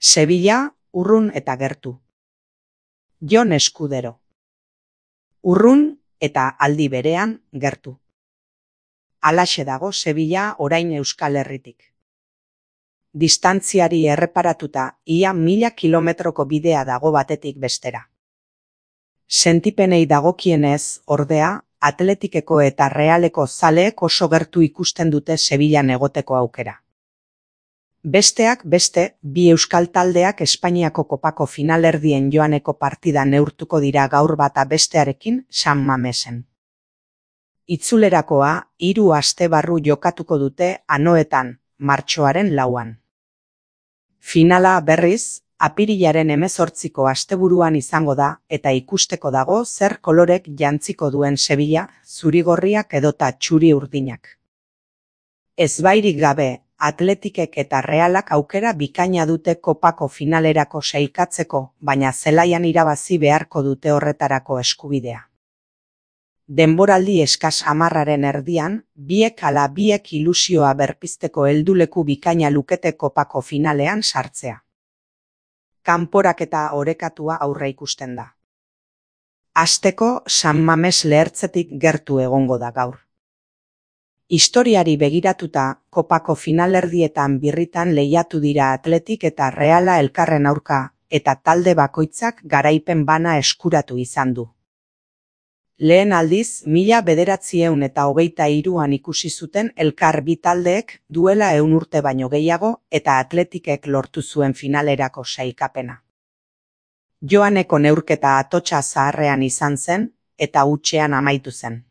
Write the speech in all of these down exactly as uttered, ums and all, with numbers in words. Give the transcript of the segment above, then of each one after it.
Sevilla, urrun eta gertu. Jon Eskudero. Urrun eta aldi berean gertu. Halaxe dago Sevilla orain Euskal Herritik. Distantziari erreparatuta ia mila kilometroko bidea dago batetik bestera. Sentipenei dagokienez, ordea, Atletikeko eta Realeko zaleek oso gertu ikusten dute Sevillan egoteko aukera. Besteak beste, bi euskal taldeak Espainiako kopako finalerdien joaneko partida neurtuko dira gaur bata bestearekin San Mamesen. Itzulerakoa, hiru aste barru jokatuko dute Anoetan, martxoaren lauan. Finala, berriz, apirilaren hemezortziko asteburuan izango da eta ikusteko dago zer kolorek jantziko duen Sevilla, zuri-gorriak edota txuri-urdinak. Ezbairik gabe, Atletikek eta Realak aukera bikaina dute kopako finalerako sailkatzeko, baina zelaian irabazi beharko dute horretarako eskubidea. Denboraldi eskas hamarraren erdian, biek ala biek ilusioa berpizteko helduleku bikaina lukete kopako finalean sartzea. Kanporaketa orekatua aurre ikusten da. Hasteko San Mames lehertzetik gertu egongo da gaur. Historiari begiratuta, kopako finalerdietan birritan lehiatu dira Atletik eta Reala elkarren aurka, eta talde bakoitzak garaipen bana eskuratu izan du. Lehen aldiz, mila bederatziehun eta hogeita hiruan ikusi zuten elkar bi taldeek duela ehun urte baino gehiago eta Atletikek lortu zuen finalerako sailkapena. Joaneko neurketa atotsa zaharrean izan zen eta hutsean amaitu zen.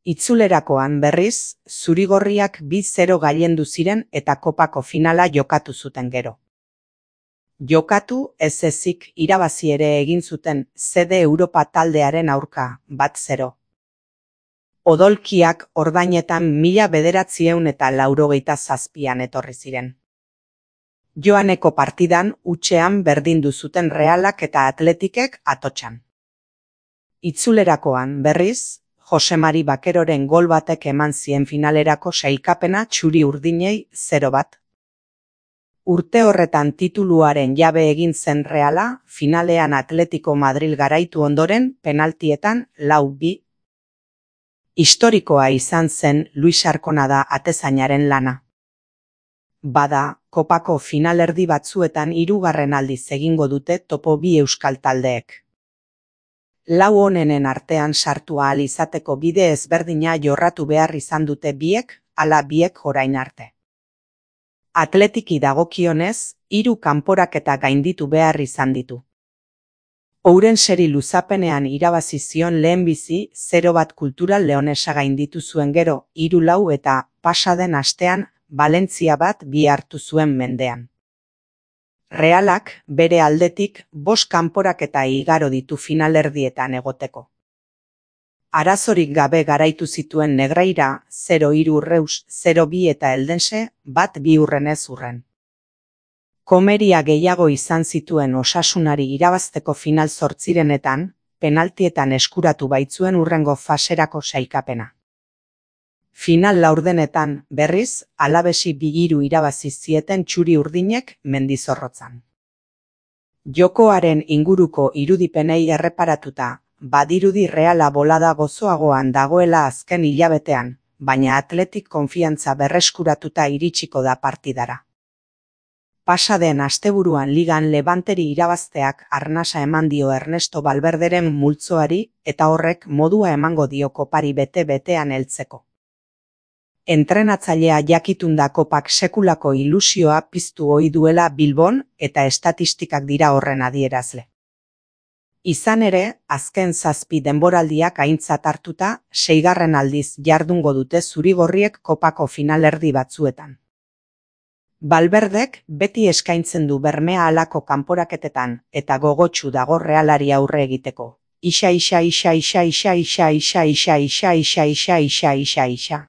Itzulerakoan berriz, zuri-gorriak bi zero gailendu ziren eta kopako finala jokatu zuten gero. Jokatu ez ezik irabazi ere egin zuten Zede Europa taldearen aurka, bat zero. Odolkiak ordainetan mila bederatziehun eta laurogeita zazpian etorri ziren. Joaneko partidan hutsean berdindu zuten Realak eta Atletikek atotsan. Itzulerakoan berriz, Jose Mari Bakeroren gol batek eman zien finalerako sailkapena txuri-urdinei zero bat. Urte horretan tituluaren jabe egin zen Reala, finalean Atletico Madril garaitu ondoren penaltietan lau bi. Historikoa izan zen Luis Arconada atezainaren lana. Bada, kopako finalerdi batzuetan hirugarren aldiz egingo dute topo bi euskal taldeek. Lau honenen artean sartu ahal izateko bide ezberdina jorratu behar izan dute biek, ala biek orain arte. Atletiki dagokionez, hiru kanporaketa gainditu behar izan ditu. Ourenseri luzapenean irabazi zion lehenbizi zero bat Kultural Leonesa gainditu zuen gero, hiru lau eta pasaden astean Valentzia bat bi hartu zuen mendean. Realak, bere aldetik, bost kanporaketa igaro ditu finalerdietan egoteko. Arazorik gabe garaitu zituen Negreira, zero hiru Reus, zero bi eta Eldense, bat bi urrenez urren. Komeria gehiago izan zituen Osasunari irabazteko final zortzirenetan, penaltietan eskuratu baitzuen urrengo faserako sailkapena. Final laurdenetan, berriz, Alabesi bi hiru irabazi zieten txuri-urdinek Mendizorrotzan. Jokoaren inguruko irudipenei erreparatuta, badirudi Reala bolada gozoagoan dagoela azken hilabetean, baina Atletik konfiantza berreskuratuta iritsiko da partidara. Pasaden asteburuan ligan Levanteri irabazteak arnasa eman dio Ernesto Valverderen multzoari eta horrek modua emango dio kopari bete-betean heltzeko. Entrenatzailea jakitunda kopak sekulako ilusioa piztu ohi duela Bilbon eta estatistikak dira horren adierazle. Izan ere, azken zazpi denboraldiak aintzat hartuta, seigarren aldiz jardungo dute zuri-gorriek kopako finalerdi batzuetan. Valverdek beti eskaintzen du bermea halako kanporaketetan eta gogotsu dago Realari aurre egiteko. Isa isa isa isa isa isa isa isa isa isa isa isa isa isa.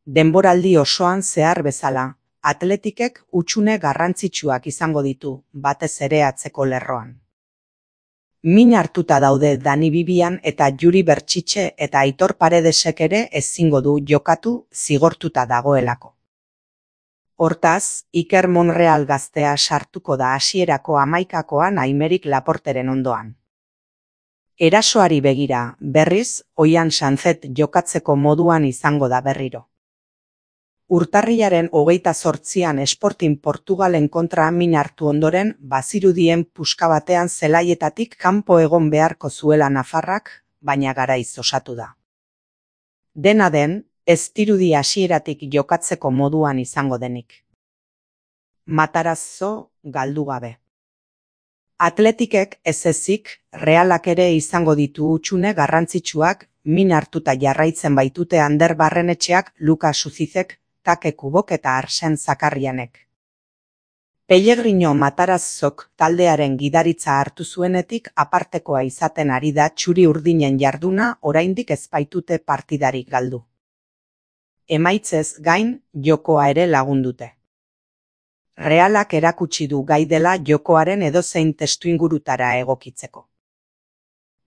Denboraldi osoan zehar bezala, Atletikek hutsune garrantzitsuak izango ditu, batez ere atzeko lerroan. Min hartuta daude Dani Bibian eta Juri Bertxitxe eta Aitor Paredesek ere ezingo du jokatu zigortuta dagoelako. Hortaz, Iker Monreal gaztea sartuko da hasierako hamaikakoan Aimeric Laporteren ondoan. Erasoari begira, berriz, Oian Sanzet jokatzeko moduan izango da berriro. Urtarrilaren hogeita zortzian Sporting Portugalen kontra min hartu ondoren, bazirudien puska batean zelaietatik kanpo egon beharko zuela nafarrak, baina garaiz osatu da. Dena den, ez dirudi hasieratik jokatzeko moduan izango denik. Matarazzo galdu gabe. Atletikek ez ezik, Realak ere izango ditu hutsune garrantzitsuak, min hartuta jarraitzen baitute Ander Barrenetxeak, Lukas Suzizek, Take Kubok eta Arsen Zakarrianek. Pellegrino Matarazzok taldearen gidaritza hartu zuenetik apartekoa izaten ari da txuri urdinen jarduna oraindik ez baitute partidarik galdu. Emaitzez gain, jokoa ere lagundute. Realak erakutsi du gai dela jokoaren edozein testuingurutara egokitzeko.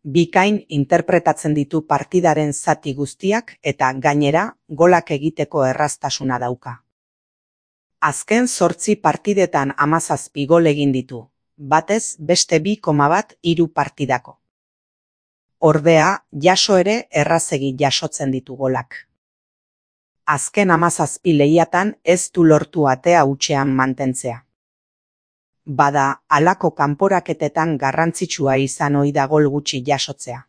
Bikain interpretatzen ditu partidaren zati guztiak eta gainera golak egiteko erraztasuna dauka. Azken zortzi partidetan hamazazpi gol egin ditu, batez beste bi koma bat hiru partidako. Ordea, jaso ere errazegi jasotzen ditu golak. Azken hamazazpi lehiatan ez du lortu atea hutsean mantentzea. Bada, halako kanporaketetan garrantzitsua izan ohi da gol gutxi jasotzea.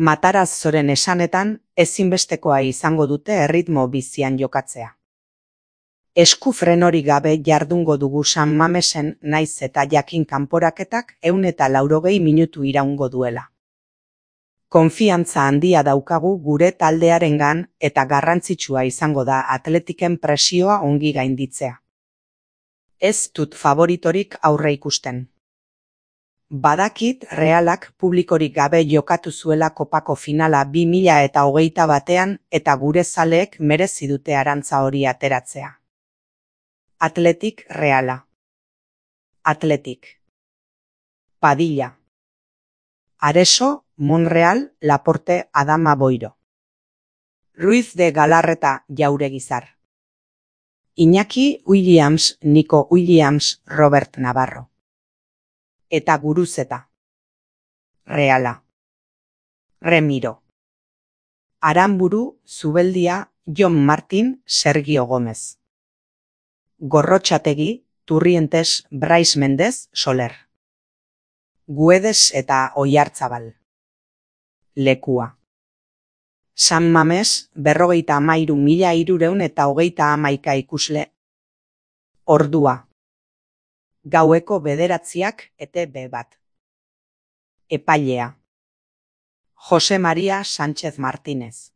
Matarazzoren esanetan, ezinbestekoa izango dute erritmo bizian jokatzea. Esku frenorik gabe jardungo dugu San Mamesen naiz eta jakin kanporaketak ehun eta laurogei minutu iraungo duela. Konfiantza handia daukagu gure taldearengan eta garrantzitsua izango da Atletiken presioa ongi gainditzea. Ez dut favoritorik aurre ikusten. Badakit Realak publikorik gabe jokatu zuela kopako finala bi mila eta hogeita batean eta gure zaleek merezi dute arantza hori ateratzea. Atletik Reala. Atletik. Padilla. Areso, Monreal, Laporte, Adama Boiro. Ruiz de Galarreta, Jauregizar. Iñaki Williams, Nico Williams, Robert Navarro. Eta Guruzeta. Reala. Remiro. Aramburu, Zubeldia, Jon Martin, Sergio Gómez. Gorrotxategi, Turrientes, Brais Mendez, Soler. Guedes eta Oiartzabal. Lekua. San Mames, berrogeita hamairu mila hirureun eta hogeita hamaika ikusle. Ordua. Gaueko bederatziak ete be bat. Epailea. Jose Maria Sánchez Martínez.